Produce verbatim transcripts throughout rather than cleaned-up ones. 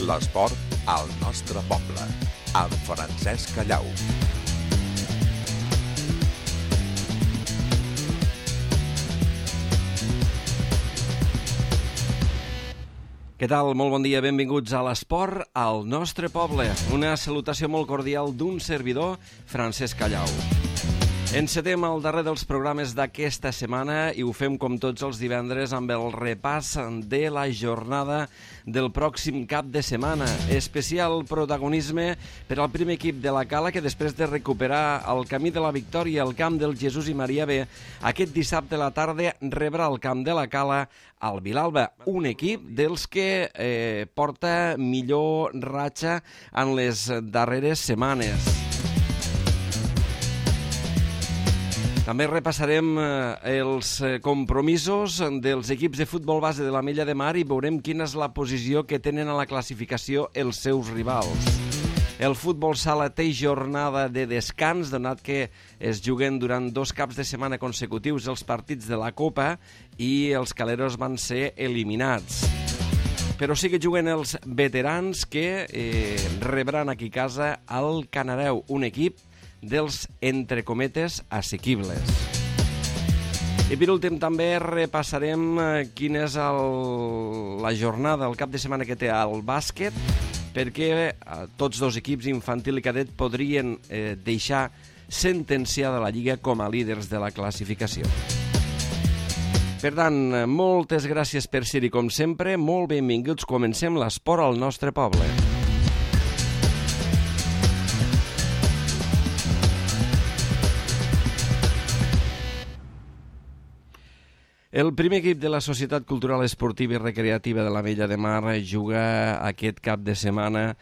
L'esport al nostre poble, amb Francesc Callau. Què tal? Molt bon dia, benvinguts a l'Esport al nostre poble. Una salutació molt cordial d'un servidor, Francesc Callau. Encetem el darrer dels programes d'aquesta setmana i ho fem com tots els divendres amb el repàs de la jornada del pròxim cap de setmana. Especial protagonisme per al primer equip de la Cala, que després de recuperar el camí de la victòria al camp del Jesús i Maria B, aquest dissabte a la tarda rebrà al camp de la Cala al Vilalba, un equip dels que eh, porta millor ratxa en les darreres setmanes. També repassarem els compromisos dels equips de futbol base de l'Ametlla de Mar i veurem quina és la posició que tenen a la classificació els seus rivals. El futbol sala té jornada de descans, donat que es juguen durant dos caps de setmana consecutius els partits de la Copa i els caleros van ser eliminats. Però sí que juguen els veterans que eh, rebran aquí a casa al Canareu, un equip dels, entre cometes, assequibles. I per últim també repassarem quina és el, la jornada, el cap de setmana que té el bàsquet, perquè eh, tots dos equips, infantil i cadet, podrien eh, deixar sentenciada la Lliga com a líders de la classificació. Per tant, moltes gràcies per ser-hi com sempre, molt benvinguts, comencem l'esport al nostre poble. El primer equip de la Societat Cultural Esportiva i Recreativa de l'Ametlla de Mar juga aquest cap de setmana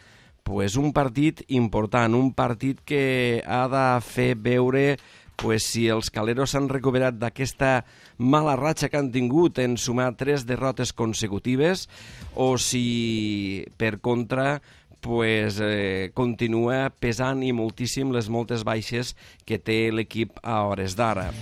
pues, un partit important, un partit que ha de fer veure pues, si els caleros s'han recuperat d'aquesta mala ratxa que han tingut en sumar tres derrotes consecutives o si, per contra, pues, eh, continua pesant i moltíssim les moltes baixes que té l'equip a hores d'ara.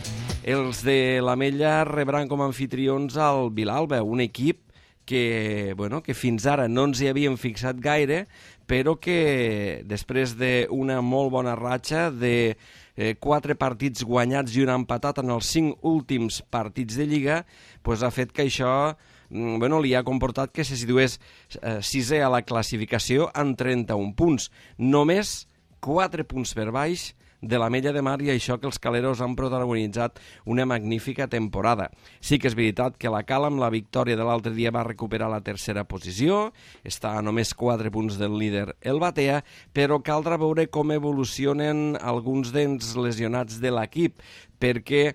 Els de l'Ametlla rebran com a anfitrions al Vilalba, un equip que, bueno, que fins ara no ens hi havíem fixat gaire, però que després d'una molt bona ratxa de eh, quatre partits guanyats i un empatat en els cinc últims partits de Lliga, pues, ha fet que això bueno, li ha comportat que se situés eh, sisè a la classificació amb trenta-un punts. Només quatre punts per baix de l'Ametlla de Mar i això que els caleros han protagonitzat una magnífica temporada. Sí que és veritat que la Cala amb la victòria de l'altre dia va recuperar la tercera posició, està a només quatre punts del líder el Batea, però caldrà veure com evolucionen alguns dels lesionats de l'equip, perquè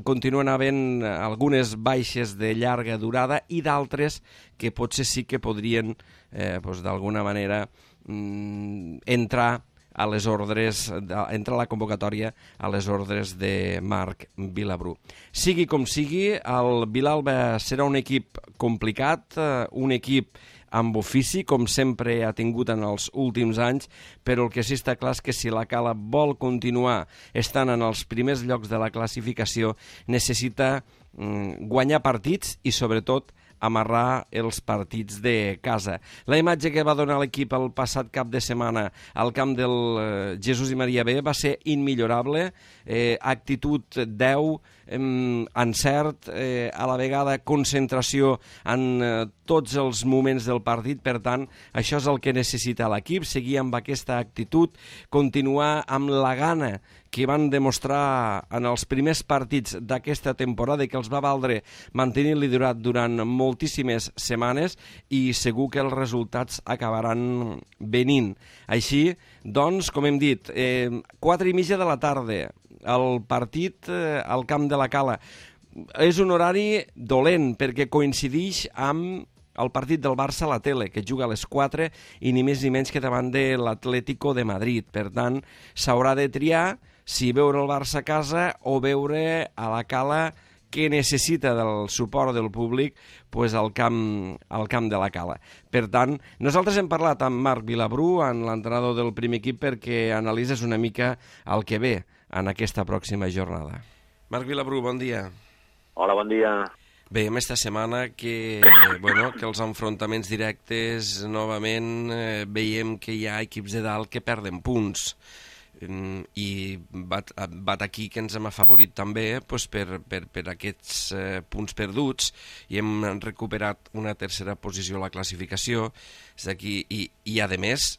continuen havent algunes baixes de llarga durada i d'altres que potser sí que podrien eh, doncs, d'alguna manera mm, entrar a les ordres, entra a la convocatòria a les ordres de Marc Vilabrú. Sigui com sigui, el Vilalba serà un equip complicat, un equip amb ofici, com sempre ha tingut en els últims anys, però el que sí està clar és que si la Cala vol continuar estant en els primers llocs de la classificació, necessita mm, guanyar partits i, sobretot, amarrar els partits de casa. La imatge que va donar l'equip el passat cap de setmana al camp del eh, Jesús i Maria B va ser immillorable, eh, actitud deu, eh, encert, eh, a la vegada concentració en eh, tots els moments del partit, per tant, això és el que necessita l'equip, seguir amb aquesta actitud, continuar amb la gana que van demostrar en els primers partits d'aquesta temporada i que els va valdre mantenir el liderat durant moltíssimes setmanes i segur que els resultats acabaran venint. Així, doncs, com hem dit, eh, quatre i mitja de la tarda, el partit eh, al camp de la Cala. És un horari dolent perquè coincidix amb el partit del Barça a la tele, que juga a les quatre i ni més ni menys que davant de l'Atlético de Madrid. Per tant, s'haurà de triar si veure el Barça a casa o veure a la Cala, que necessita del suport del públic pues, al, camp, al camp de la Cala. Per tant, nosaltres hem parlat amb Marc Vilabrú, en l'entrenador del primer equip, perquè analitzes una mica el que ve en aquesta pròxima jornada. Marc Vilabrú, bon dia. Hola, bon dia. Veiem esta setmana que, bueno, que els enfrontaments directes, novament, eh, veiem que hi ha equips de dalt que perden punts. I bat, bat aquí que ens hem afavorit també pues, per, per, per aquests eh, punts perduts i hem recuperat una tercera posició a la classificació. És aquí, i, i a més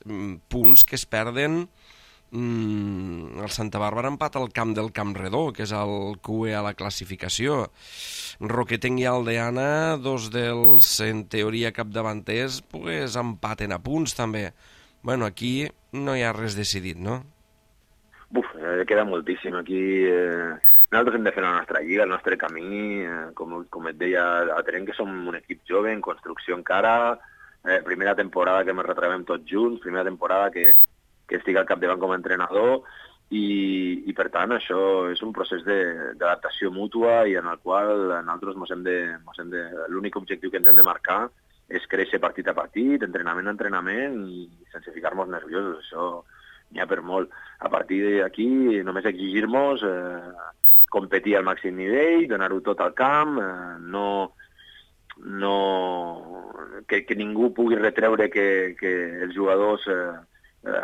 punts que es perden. mm, el Santa Bàrbara empat al camp del Camp Redó, que és el Q E a la classificació. Roquetenc i Aldeana, dos dels en teoria capdavanters, pues, empaten a punts també. Bueno, aquí no hi ha res decidit, no? Buf, eh, queda moltíssim aquí. Eh, nosaltres hem de fer la nostra lliga, el nostre camí. Eh, com, com et deia, atenem que som un equip jove, en construcció encara. Eh, primera temporada que ens retrobem tots junts, primera temporada que, que estic al capdavant com a entrenador. I, i per tant, això és un procés d'adaptació mútua i en el qual nosaltres mos hem de, mos hem de, l'únic objectiu que ens hem de marcar és créixer partit a partit, entrenament a entrenament i sense ficar-nos nerviosos. Això n'hi ha per molt. A partir d'aquí només exigir-nos eh, competir al màxim nivell, donar-ho tot al camp, eh, no, no, que, que ningú pugui retreure que, que els jugadors eh, eh,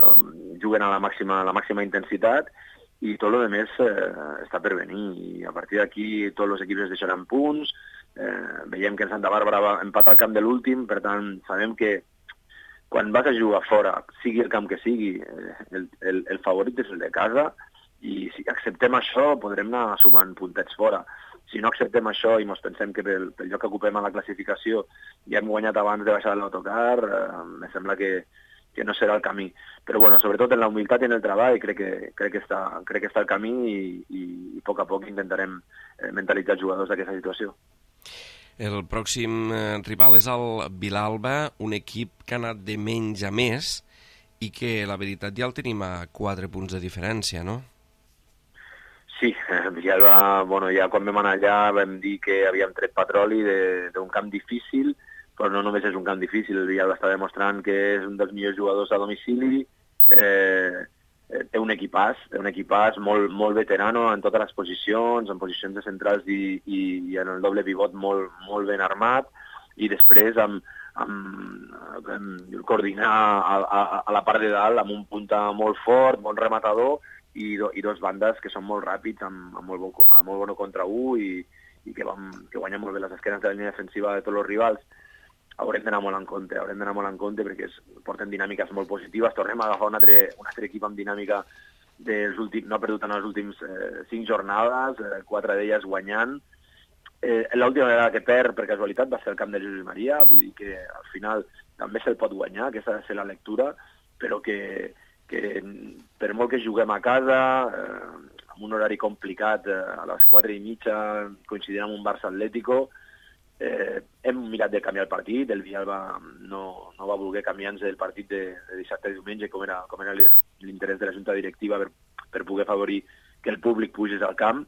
juguen a la màxima, a la màxima intensitat i tot el més eh, està per venir. I a partir d'aquí tots els equips es deixaran punts, eh, veiem que en Santa Bàrbara empata al camp de l'últim, per tant sabem que quan vas a jugar fora, sigui el camp que sigui, el, el, el favorit és el de casa i si acceptem això podrem anar sumant puntets fora. Si no acceptem això i ens pensem que pel, pel lloc que ocupem a la classificació ja hem guanyat abans de baixar l'autocar, eh, em sembla que, que no serà el camí. Però bueno, sobretot en la humilitat i en el treball crec que, crec que, està, crec que està el camí i, i, i a poc a poc intentarem eh, mentalitzar els jugadors d'aquesta situació. El pròxim eh, rival és el Vilalba, un equip que ha anat de menys a més i que la veritat ja el tenim a quatre punts de diferència, no? Sí, eh, Vilalba, bueno, ja quan vam anar allà vam dir que havíem tret petroli d'un camp difícil, però no només és un camp difícil, el Vilalba està demostrant que és un dels millors jugadors a domicili, eh, té un equipàs, té un equipàs molt, molt veterano en totes les posicions, en posicions de centrals i, i, i en el doble pivot molt, molt ben armat, i després amb, amb, amb coordinar a, a, a la part de dalt amb un punta molt fort, bon rematador, i, do, i dos bandes que són molt ràpids, amb, amb molt, bon, amb molt bon contra un i, i que, vam, que guanyen molt bé les esquenes de la línia defensiva de tots els rivals. Haurem d'anar molt en compte, haurem d'anar molt en compte perquè es porten dinàmiques molt positives. Tornem a agafar un altre, un altre equip amb dinàmica dels últims, no ha perdut en les últimes eh, cinc jornades, eh, quatre d'elles guanyant. Eh, L'última vegada que perd, per casualitat, va ser el camp de Jesús Maria, vull dir que al final també se'l pot guanyar, aquesta ha de ser la lectura, però que, que per molt que juguem a casa, eh, amb un horari complicat, eh, a les quatre i mitja, coincidint amb un Barça Atlético, Eh, hem mirat de canviar el partit, el Vilalba no, no va voler canviar-nos el partit de, de dissabte i diumenge, com era, com era l'interès de la Junta Directiva per, per poder favorir que el públic pugés al camp.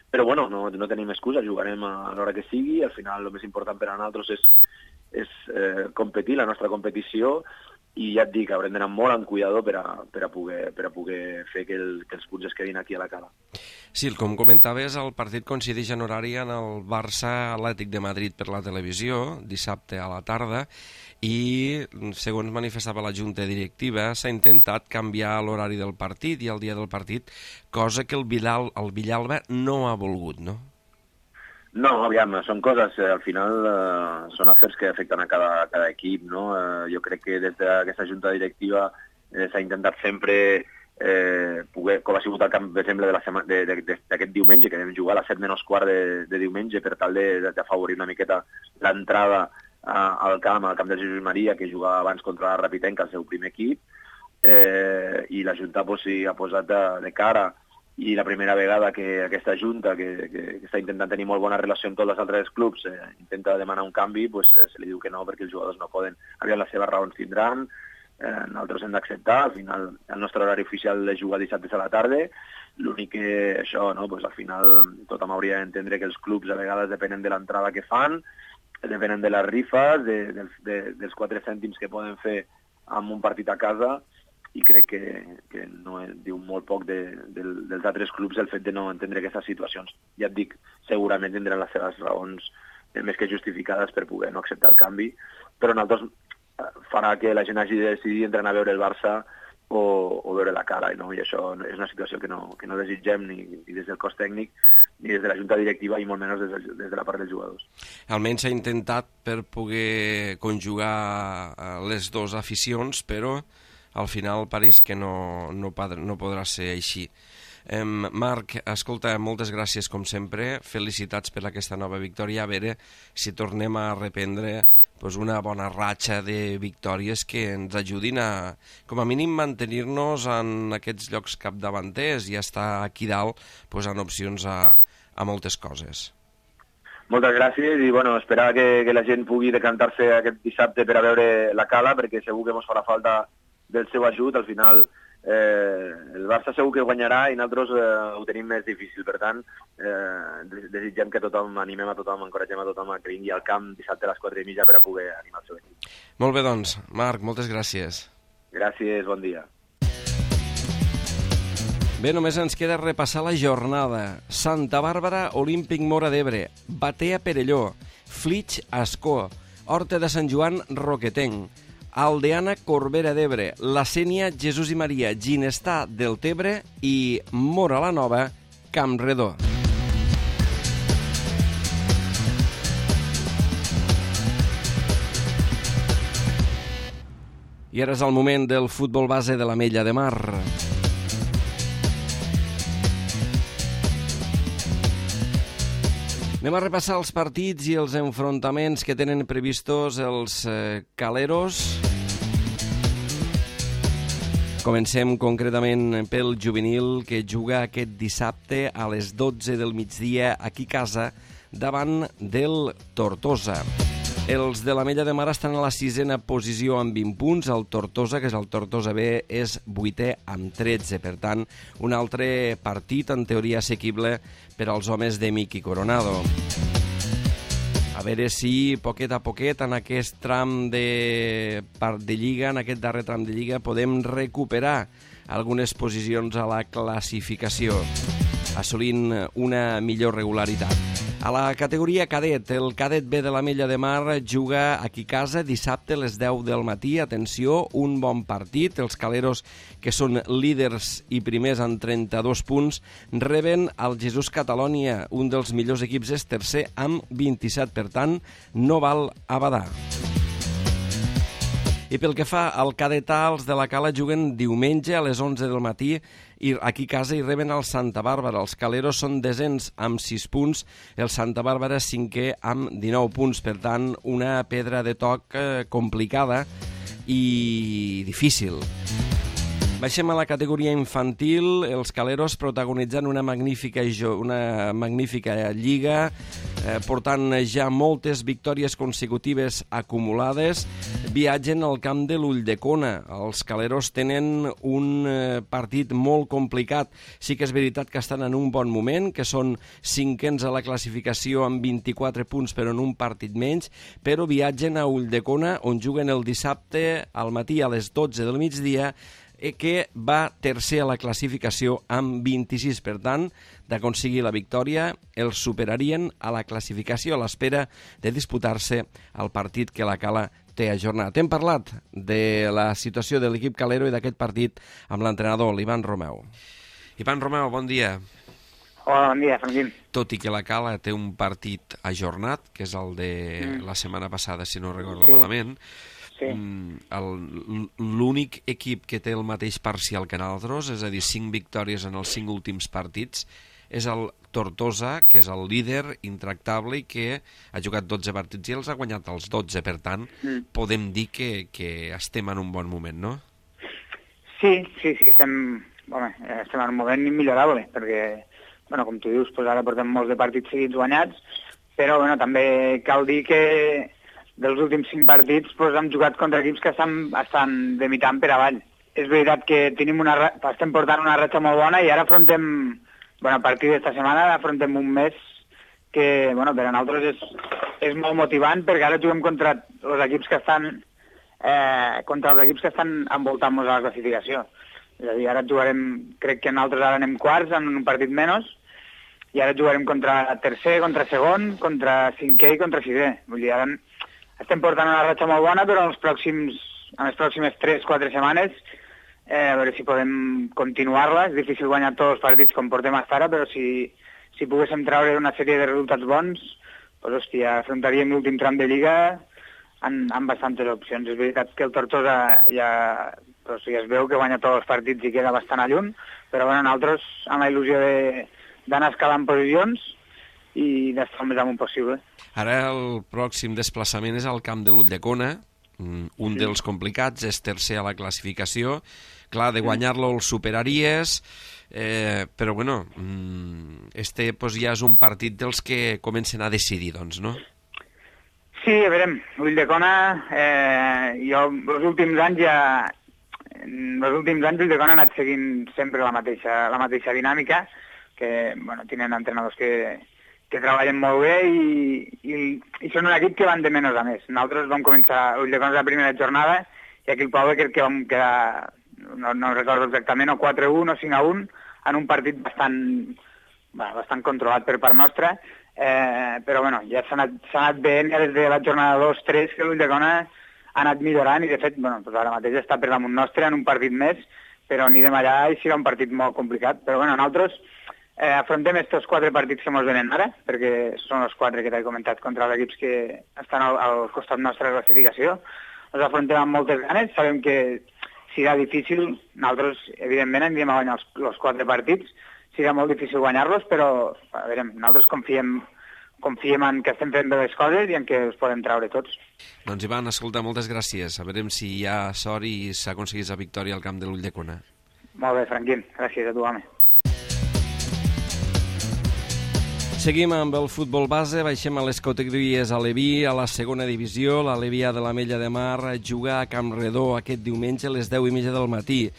Però bueno, no, no tenim excusa, jugarem a l'hora que sigui, al final el més important per a nosaltres és, és eh, competir, la nostra competició, i ja et dic, haurem d'anar molt amb cuidador per a, per a, poder, per a poder fer que, el, que els punts es quedin aquí a la cala. Sí, com comentaves, el partit coincideix en horari en el Barça Atlètic de Madrid per la televisió, dissabte a la tarda, i, segons manifestava la Junta Directiva, s'ha intentat canviar l'horari del partit i el dia del partit, cosa que el, Vilal, el Villalba no ha volgut, no? No, aviam, són coses, eh, al final eh, són afers que afecten a cada, a cada equip, no? Eh, jo crec que des d'aquesta junta directiva eh, s'ha intentat sempre eh, poder, com ha sigut el camp, per exemple, d'aquest diumenge, que vam jugar a les set menys quart de, de diumenge per tal d'afavorir una miqueta l'entrada eh, al camp, al camp de Jesús Maria, que jugava abans contra la Rapitenca, el seu primer equip, eh, i la junta pues, sí, ha posat de, de cara. I la primera vegada que aquesta junta, que, que, que està intentant tenir molt bona relació amb tots els altres clubs, eh, intenta demanar un canvi, pues, eh, se li diu que no, perquè els jugadors no poden. Aviam, les seves raons tindran, eh, nosaltres hem d'acceptar, al final el nostre horari oficial és jugar dissabte a la tarda, l'únic que això, no, pues, al final tothom hauria d'entendre que els clubs a vegades depenen de l'entrada que fan, depenen de les rifes, de, de, de, dels quatre cèntims que poden fer amb un partit a casa, i crec que, que no diu molt poc de, de, dels altres clubs el fet de no entendre aquestes situacions. Ja et dic, segurament tindran les seves raons més que justificades per poder no acceptar el canvi, però nosaltres farà que la gent hagi de decidir entre anar a veure el Barça o, o veure la Cala, no? I això és una situació que no, que no desitgem ni, ni des del cos tècnic ni des de la junta directiva i molt menys des de, des de la part dels jugadors. Almenys s'ha intentat per poder conjugar les dues aficions, però al final pareix que no, no, no podrà ser així. Eh, Marc, escolta, moltes gràcies com sempre, felicitats per aquesta nova victòria, a veure si tornem a reprendre pues, una bona ratxa de victòries que ens ajudin a, com a mínim, mantenir-nos en aquests llocs capdavanters i estar aquí dalt pues, en opcions a, a moltes coses. Moltes gràcies i bueno, esperar que, que la gent pugui decantar-se aquest dissabte per a veure la Cala, perquè segur que ens farà falta del seu ajut. Al final eh, el Barça segur que guanyarà i nosaltres eh, ho tenim més difícil. Per tant, eh, desitgem que tothom, animem a tothom, encoratgem a tothom a que vingui al camp dissabte a les quatre i mitja per a poder animar el seu equip. Molt bé, doncs. Marc, moltes gràcies. Gràcies, bon dia. Bé, només ens queda repassar la jornada. Santa Bàrbara, Olímpic Móra d'Ebre, Batea Perelló, Flix Ascó, Horta de Sant Joan Roquetenc, Aldeana Corbera d'Ebre, La Sénia Jesús i Maria Ginestà del Tebre i Móra la Nova Campredó. I ara és el moment del futbol base de l'Ametlla de Mar. Anem a repassar els partits i els enfrontaments que tenen previstos els eh, caleros. Comencem concretament pel juvenil, que juga aquest dissabte a les dotze del migdia aquí a casa davant del Tortosa. Els de l'Ametlla de Mar estan a la sisena posició amb vint punts. El Tortosa, que és el Tortosa B, és vuitè amb tretze. Per tant, un altre partit en teoria assequible per als homes de Miqui Coronado. A veure si, poquet a poquet, en aquest tram de, de Lliga, en aquest darrer tram de Lliga, podem recuperar algunes posicions a la classificació, assolint una millor regularitat. A la categoria cadet, el cadet B de l'Ametlla de Mar juga aquí a casa dissabte a les deu del matí. Atenció, un bon partit. Els caleros, que són líders i primers amb trenta-dos punts, reben el Jesús Catalònia. Un dels millors equips és tercer amb vint-i-set. Per tant, no val a badar. I pel que fa al cadetà, els de la Cala juguen diumenge a les onze del matí i aquí a casa hi reben el Santa Bàrbara. Els caleros són desens amb sis punts, el Santa Bàrbara cinquè amb dinou punts. Per tant, una pedra de toc eh, complicada i difícil. Baixem a la categoria infantil, els caleros protagonitzant una magnífica, una magnífica lliga, eh, portant ja moltes victòries consecutives acumulades, viatgen al camp de l'Ulldecona. Els caleros tenen un eh, partit molt complicat. Sí que és veritat que estan en un bon moment, que són cinquens a la classificació amb vint-i-quatre punts, però en un partit menys, però viatgen a Ulldecona, on juguen el dissabte al matí a les dotze del migdia, que va tercer a la classificació amb vint-i-sis. Per tant, d'aconseguir la victòria, els superarien a la classificació a l'espera de disputar-se el partit que la Cala té ajornat. Hem parlat de la situació de l'equip calero i d'aquest partit amb l'entrenador, l'Ivan Romeu. Ivan Romeu, bon dia. Hola, bon dia, Franquín. Tot i que la Cala té un partit ajornat, que és el de mm. la setmana passada, si no recordo sí. malament, sí. l'únic equip que té el mateix parcial que nosaltres, és a dir, cinc victòries en els cinc últims partits, és el Tortosa, que és el líder intractable i que ha jugat dotze partits i els ha guanyat els dotze. Per tant, mm. podem dir que, que estem en un bon moment, no? Sí, sí, sí, estem, bueno, estem en un moment immillorable, perquè, bueno, com tu dius, pues ara portem molts de partits seguits guanyats, però bueno, també cal dir que dels últims cinc partits pues, hem jugat contra equips que estan, estan de mitant per avall. És veritat que tenim una, estem portant una ratxa molt bona i ara afrontem, bueno, a partir d'esta setmana afrontem un mes que bueno, per a nosaltres és, és molt motivant, perquè ara juguem contra els equips que estan eh, contra els equips que estan envoltant-nos a la classificació. És a dir, ara jugarem, crec que nosaltres ara anem quarts en un partit menys, i ara jugarem contra tercer, contra segon, contra cinquè i contra sisè. Vull dir, ara estem portant una ratxa molt bona, però en, els pròxims, en les pròximes tres quatre setmanes eh, a veure si podem continuar-la. És difícil guanyar tots els partits com portem fins ara, però si, si poguéssim treure una sèrie de resultats bons, doncs, hòstia, afrontaríem l'últim tram de Lliga amb, amb bastantes opcions. És veritat que el Tortosa ja, doncs, ja es veu que guanya tots els partits i queda bastant a lluny, però bueno, nosaltres amb la il·lusió de, d'anar escalant posicions i d'estar el més amunt possible. Ara el pròxim desplaçament és al camp de l'Ulldecona, un sí. dels complicats, és tercer a la classificació. Clar, de guanyar-lo el superaries, eh, però bueno, este pues, ja és un partit dels que comencen a decidir, doncs, no? Sí, a veure, Ulldecona, eh, jo els últims anys ja... En els últims anys Ulldecona ha anat seguint sempre la mateixa, la mateixa dinàmica, que bueno, tenen entrenadors que, que treballen molt bé i, i, i són un equip que van de menys a més. Nosaltres vam començar Ulldecona la primera jornada i aquí al poble crec que vam quedar, no, no recordo exactament, o quatre a un o cinc a un en un partit bastant, bueno, bastant controlat per part nostra, eh, però bueno, ja s'ha anat, s'ha anat veient ja des de la jornada dos tres que l'Ulldecona ha anat millorant i de fet bueno, doncs ara mateix està per damunt nostre en un partit més, però anirem allà i serà un partit molt complicat. Però bueno, nosaltres eh, afrontem aquests quatre partits que ens venen ara, perquè són els quatre que t'he comentat contra els equips que estan al, al costat nostre de la classificació. Els afrontem amb moltes ganes, sabem que serà difícil, nosaltres evidentment anirem a guanyar els, els quatre partits, serà molt difícil guanyar-los, però a veure, nosaltres confiem confiem en que estem fent bé les coses i en que els podem treure tots. Doncs Ivan, escolta, moltes gràcies. A veure si hi ha sort i s'aconseguís la victòria al camp de l'Ulldecona. Molt bé, Franquín. Gràcies a tu, home. Seguim amb el futbol base, baixem a les categories a Aleví, a la segona divisió. L'Alevià de l'Ametlla de Mar juga a Campredó aquest diumenge a les deu i mitja del matí.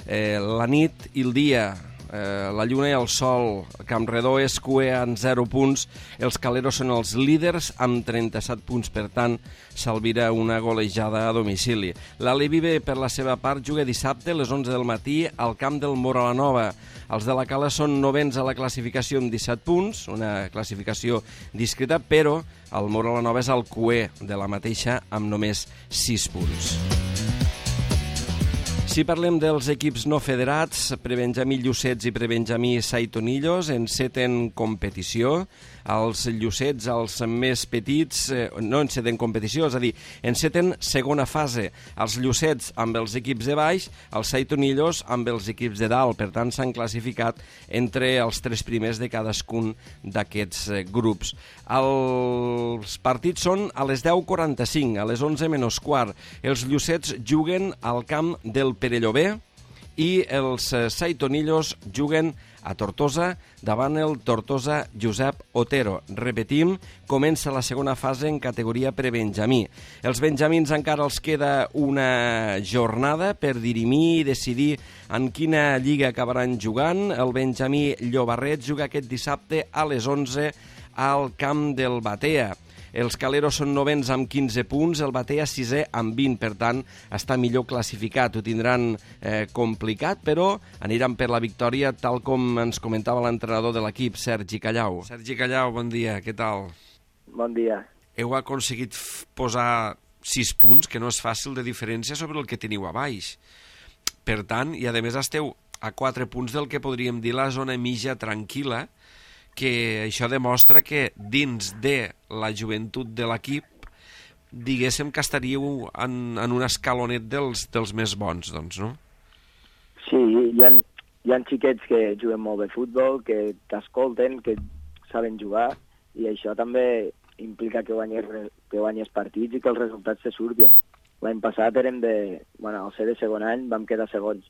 Eh, la nit i el dia... Eh, la lluna i el sol. Campredó és cué amb zero punts, els Caleros són els líders amb trenta-set punts, per tant s'albira una golejada a domicili. L'Aleví B, per la seva part, juga dissabte a les onze del matí al camp del Moralanova. Els de la Cala són novens a la classificació amb disset punts, una classificació discreta, però el Moralanova és el cué de la mateixa amb només sis punts. Si parlem dels equips no federats, Prebenjamí Llucets i Prebenjamí Saitonillos enceten competició. Els Llucets, els més petits, eh, no enceten competició, és a dir, enceten segona fase. Els Llucets amb els equips de baix, els Saitonillos amb els equips de dalt. Per tant, s'han classificat entre els tres primers de cadascun d'aquests eh, grups. Els partits són a les deu quaranta-cinc, a les onze menys quart. Els Llucets juguen al camp del Perellobé i els Saitonillos juguen a Tortosa davant el Tortosa Josep Otero. Repetim, comença la segona fase en categoria prebenjamí. Els benjamins encara els queda una jornada per dirimir i decidir en quina lliga acabaran jugant. El benjamí Llobarret juga aquest dissabte a les onze al camp del Batea. Els Caleros són novens amb quinze punts, el Batea sisè amb vint, per tant, està millor classificat. Ho tindran eh, complicat, però aniran per la victòria, tal com ens comentava l'entrenador de l'equip, Sergi Callau. Sergi Callau, bon dia, què tal? Bon dia. Heu aconseguit posar sis punts, que no és fàcil de diferència sobre el que teniu a baix. Per tant, i a més esteu a quatre punts del que podríem dir la zona mitja tranquil·la, que això demostra que dins de la joventut de l'equip diguéssim que estaríeu en, en un escalonet dels, dels més bons, doncs, no? Sí, hi ha, hi ha xiquets que juguen molt bé futbol, que t'escolten, que saben jugar, i això també implica que guanyes, que guanyes partits i que els resultats se surten. L'any passat érem de... Bueno, al ser de segon any vam quedar segons.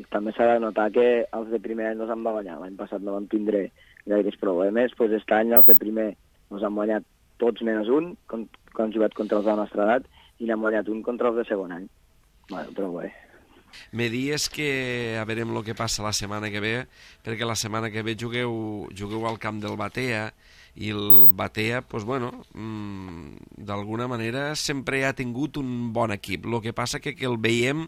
També s'ha de notar que els de primer any no s'han de guanyar. L'any passat no vam tindre gaires problemes, doncs aquest any els de primer ens han guanyat tots menys un, quan han jugat contra els de la nostra edat, i n'han guanyat un contra els de segon any. Bueno, però bé. Me dies que a veurem el que passa la setmana que ve, perquè la setmana que ve jugueu, jugueu al camp del Batea, i el Batea, pues, bueno, mmm, d'alguna manera sempre ha tingut un bon equip. El que passa que, que el veiem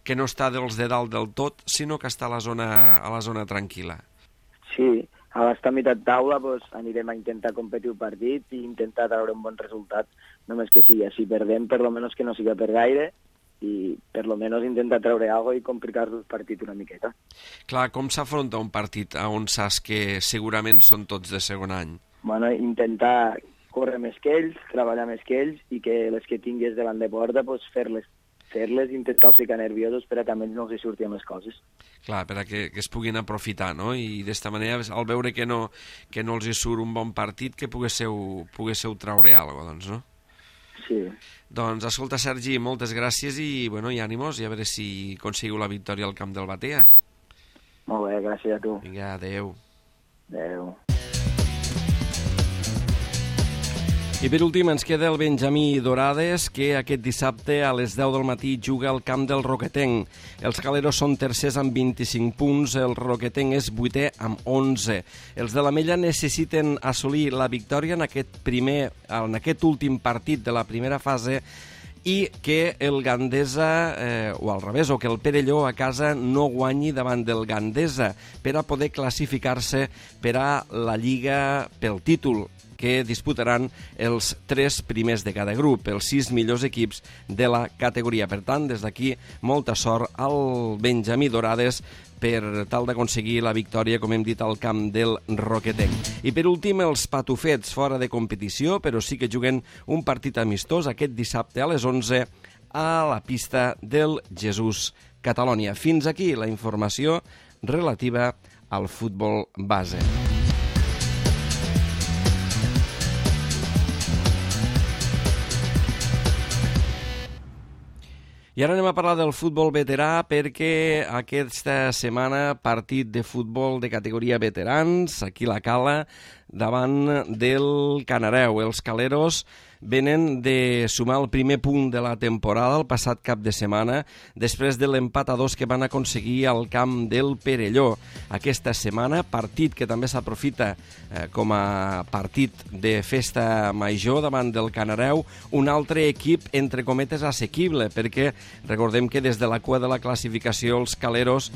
que no està dels de dalt del tot, sinó que està a la zona, a la zona tranquil·la. Sí, a l'estar a meitat taula pues, anirem a intentar competir un partit i intentar treure un bon resultat, només que sigui. Si perdem, per lo menos que no siga per gaire, i per lo menos intentar treure alguna cosa i complicar el partit una miqueta. Clar, com s'afronta un partit on saps que segurament són tots de segon any? Bueno, intentar córrer més que ells, treballar més que ells i que les que tingués davant de porta pues, fer-les, fer-les, intentar ficar nerviosos per a també no els surtin les coses. Clar, per a que, que es puguin aprofitar, no? I d'esta manera, al veure que no, que no els hi surt un bon partit, que poguésseu, poguésseu traure alguna cosa, doncs, no? Sí. Doncs, escolta, Sergi, moltes gràcies i, bueno, i ànimos, i a veure si aconseguiu la victòria al camp del Batea. Molt bé, gràcies a tu. Vinga, adeu. Adeu. I per últim ens queda el Benjamí Dorades, que aquest dissabte a les deu del matí juga al camp del Roquetenc. Els caleros són tercers amb vint-i-cinc punts, el Roquetenc és vuitè amb onze. Els de l'Ametlla necessiten assolir la victòria en aquest, primer, en aquest últim partit de la primera fase i que el Gandesa, eh, o al revés, o que el Perelló a casa no guanyi davant del Gandesa per a poder classificar-se per a la Lliga pel títol, que disputaran els tres primers de cada grup, els sis millors equips de la categoria. Per tant, des d'aquí, molta sort al Benjamí Dorades per tal d'aconseguir la victòria, com hem dit, al camp del Roquetenc. I per últim, els patufets fora de competició, però sí que juguen un partit amistós aquest dissabte a les onze a la pista del Jesús Catalònia. Fins aquí la informació relativa al futbol base. I ara anem a parlar del futbol veterà perquè aquesta setmana partit de futbol de categoria veterans, aquí a la Cala, davant del Canareu. Els caleros venen de sumar el primer punt de la temporada el passat cap de setmana després de l'empat a dos que van aconseguir al camp del Perelló. Aquesta setmana, partit que també s'aprofita eh, com a partit de festa major davant del Canareu, un altre equip, entre cometes, assequible, perquè recordem que des de la cua de la classificació els caleros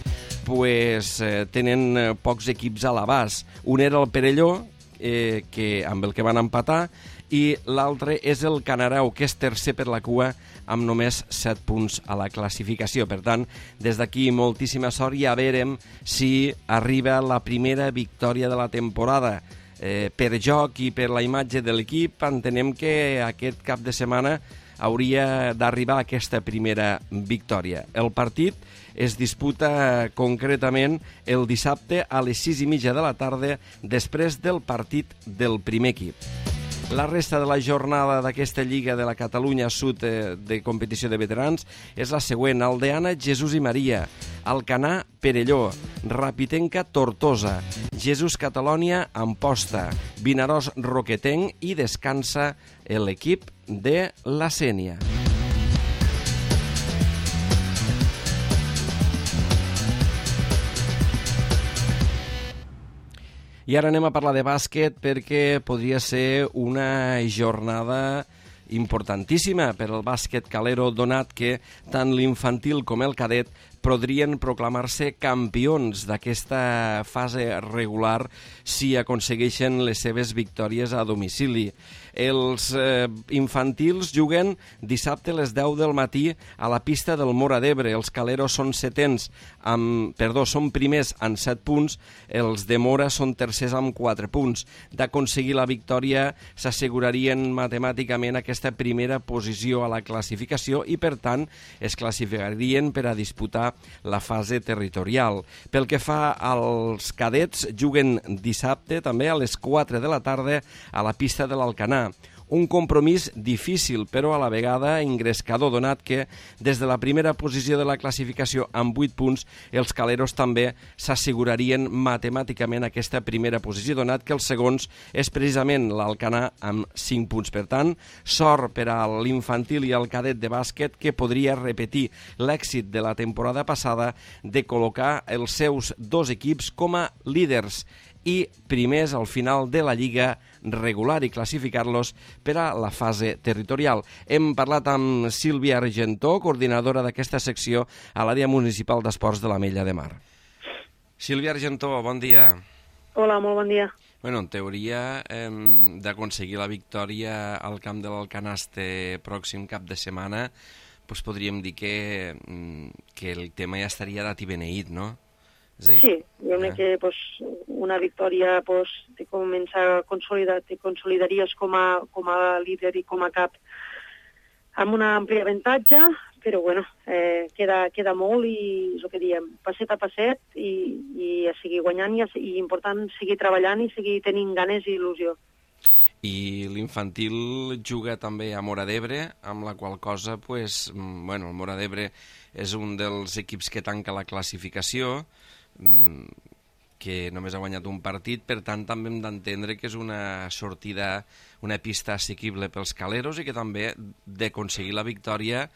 pues, eh, tenen eh, pocs equips a l'abast. Un era el Perelló, eh, que, amb el que van empatar, i l'altre és el Canareu, que és tercer per la cua amb només set punts a la classificació. Per tant, des d'aquí moltíssima sort i a veure si arriba la primera victòria de la temporada. Eh, per joc i per la imatge de l'equip entenem que aquest cap de setmana hauria d'arribar aquesta primera victòria. El partit es disputa concretament el dissabte a les sis i mitja de la tarda després del partit del primer equip. La resta de la jornada d'aquesta Lliga de la Catalunya Sud de competició de veterans és la següent: Aldeana, Jesús i Maria, Alcanar, Perelló, Rapitenca, Tortosa, Jesús Catalònia, Amposta, Vinaròs, Roquetenc i descansa l'equip de la Sénia. I ara anem a parlar de bàsquet perquè podria ser una jornada importantíssima per al bàsquet calero, donat que tant l'infantil com el cadet podrien proclamar-se campions d'aquesta fase regular si aconsegueixen les seves victòries a domicili. Els eh, infantils juguen dissabte a les deu del matí a la pista del Móra d'Ebre. Els caleros són setens amb, perdó, són primers amb set punts, els de Móra són tercers amb quatre punts. D'aconseguir la victòria s'assegurarien matemàticament aquesta primera posició a la classificació i, per tant, es classificarien per a disputar la fase territorial. Pel que fa als cadets, juguen dissabte també a les quatre de la tarda a la pista de l'Alcanar. Un compromís difícil, però a la vegada ingrescador, donat que des de la primera posició de la classificació amb vuit punts, els caleros també s'assegurarien matemàticament aquesta primera posició, donat que els segons és precisament l'Alcanar amb cinc punts. Per tant, sort per a l'infantil i al cadet de bàsquet, que podria repetir l'èxit de la temporada passada de col·locar els seus dos equips com a líders i primers al final de la Lliga regular i classificar-los per a la fase territorial. Hem parlat amb Sílvia Argentó, coordinadora d'aquesta secció a l'àrea municipal d'esports de l'Ametlla de Mar. Sílvia Argentó, bon dia. Hola, molt bon dia. Bueno, en teoria hem d'aconseguir la victòria al camp de l'Alcanar este pròxim cap de setmana, doncs podríem dir que, que el tema ja estaria dat i beneït, no? Dir, sí, jo crec eh? que pues, una victòria pues, te comença a consolidar, te consolidaries com a, com a líder i com a cap amb un ampli avantatge, però bueno, eh, queda, queda molt i és el que diem, passet a passet i, i a seguir guanyant i, a, i important seguir treballant i seguir tenint ganes i il·lusió. I l'infantil juga també a Móra d'Ebre, amb la qual cosa, pues, bueno, el Móra d'Ebre és un dels equips que tanca la classificació, que només ha guanyat un partit, per tant també hem d'entendre que és una sortida, una pista assequible pels caleros i que també d'aconseguir la victòria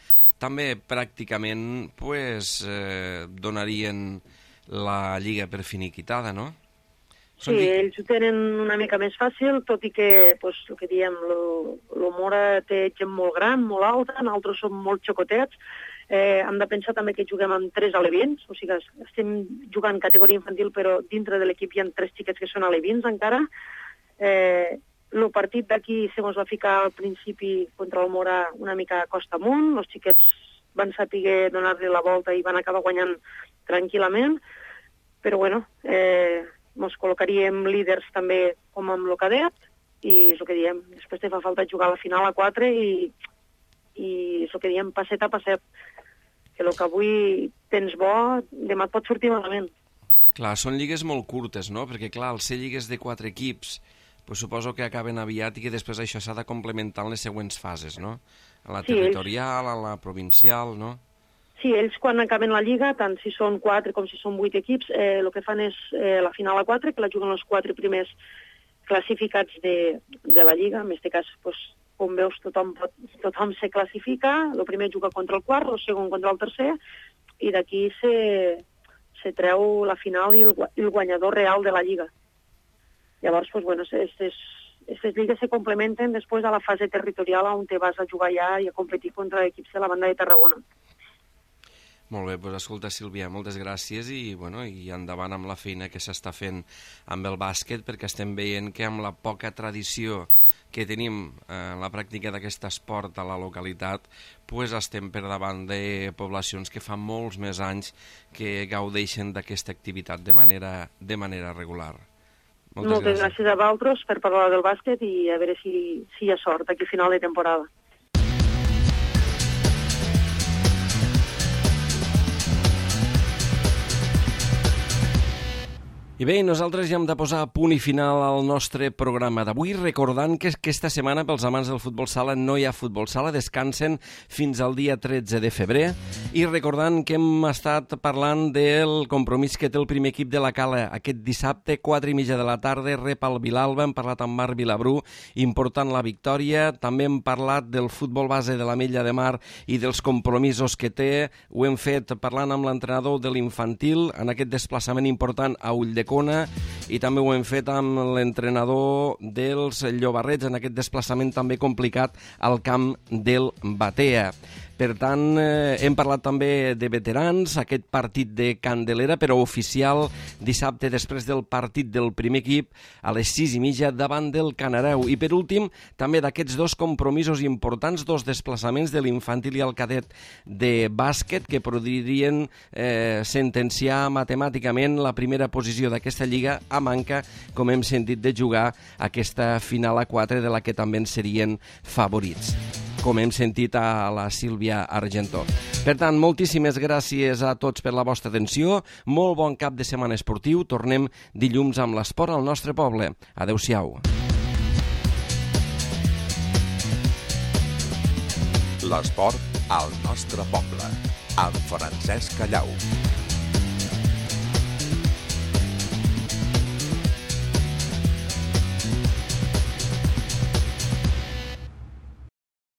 també pràcticament pues, eh, donarien la Lliga per finiquitada, no? Sí, Són... ells ho tenen una mica més fàcil, tot i que, pues, el que diem, el Móra té gent molt gran, molt alta, nosaltres som molt xocotets. Eh, hem de pensar també que juguem amb tres alevins, o sigui que estem jugant categoria infantil, però dintre de l'equip hi ha tres xiquets que són alevins encara. Eh, el partit d'aquí se mos va ficar al principi contra el Móra una mica costa amunt, els xiquets van saber donar-li la volta i van acabar guanyant tranquil·lament, però bueno, eh, mos col·locaríem líders també com amb el cadet, i és el que diem, després te fa falta jugar a la final a quatre i, i és el que diem, passet a passet, que el que avui tens bo, demà et pot sortir malament. Clar, són lligues molt curtes, no? Perquè, clar, al ser lligues de quatre equips, pues suposo que acaben aviat i que després això s'ha de complementar en les següents fases, no? A la sí, territorial, ells... a la provincial, no? Sí, ells quan acaben la lliga, tant si són quatre com si són vuit equips, eh, el que fan és eh, la final a quatre, que la juguen els quatre primers classificats de, de la lliga. En aquest cas, pues, com veus, tothom, pot, tothom se classifica, el primer juga contra el quart, el segon contra el tercer, i d'aquí se, se treu la final i el, el guanyador real de la lliga. Llavors, pues, bueno, aquestes lligues se complementen després a la fase territorial on te vas a jugar ja i a competir contra equips de la banda de Tarragona. Molt bé, doncs escolta, Sílvia, moltes gràcies i, bueno, i endavant amb la feina que s'està fent amb el bàsquet, perquè estem veient que amb la poca tradició que tenim en la pràctica d'aquest esport a la localitat, pues estem per davant de poblacions que fa molts més anys que gaudeixen d'aquesta activitat de manera, de manera regular. Moltes, Moltes gràcies. gràcies a vosaltres per parlar del bàsquet i a veure si, si hi ha sort aquí a final de temporada. I bé, nosaltres ja hem de posar punt i final al nostre programa d'avui, recordant que aquesta setmana pels amants del futbol sala no hi ha futbol sala, descansen fins al dia tretze de febrer, i recordant que hem estat parlant del compromís que té el primer equip de la Cala aquest dissabte, quatre i mitja de la tarda, rep al Vilalba, hem parlat amb Marc Vilabrú, important la victòria, també hem parlat del futbol base de l'Ametlla de Mar i dels compromisos que té, ho hem fet parlant amb l'entrenador de l'infantil en aquest desplaçament important a Ulldecona, i també ho hem fet amb l'entrenador dels Llobarrets en aquest desplaçament també complicat al camp del Batea. Per tant, eh, hem parlat també de veterans, aquest partit de Candelera, però oficial dissabte després del partit del primer equip a les sis i mitja davant del Canareu. I per últim, també d'aquests dos compromisos importants, dos desplaçaments de l'infantil i el cadet de bàsquet que podrien eh, sentenciar matemàticament la primera posició d'aquesta lliga a manca, com hem sentit, de jugar aquesta final a quatre de la que també en serien favorits, com hem sentit a la Sílvia Argentó. Per tant, moltíssimes gràcies a tots per la vostra atenció, molt bon cap de setmana esportiu, tornem dilluns amb l'esport al nostre poble. Adéu-siau. L'esport al nostre poble, amb Francesc Callau.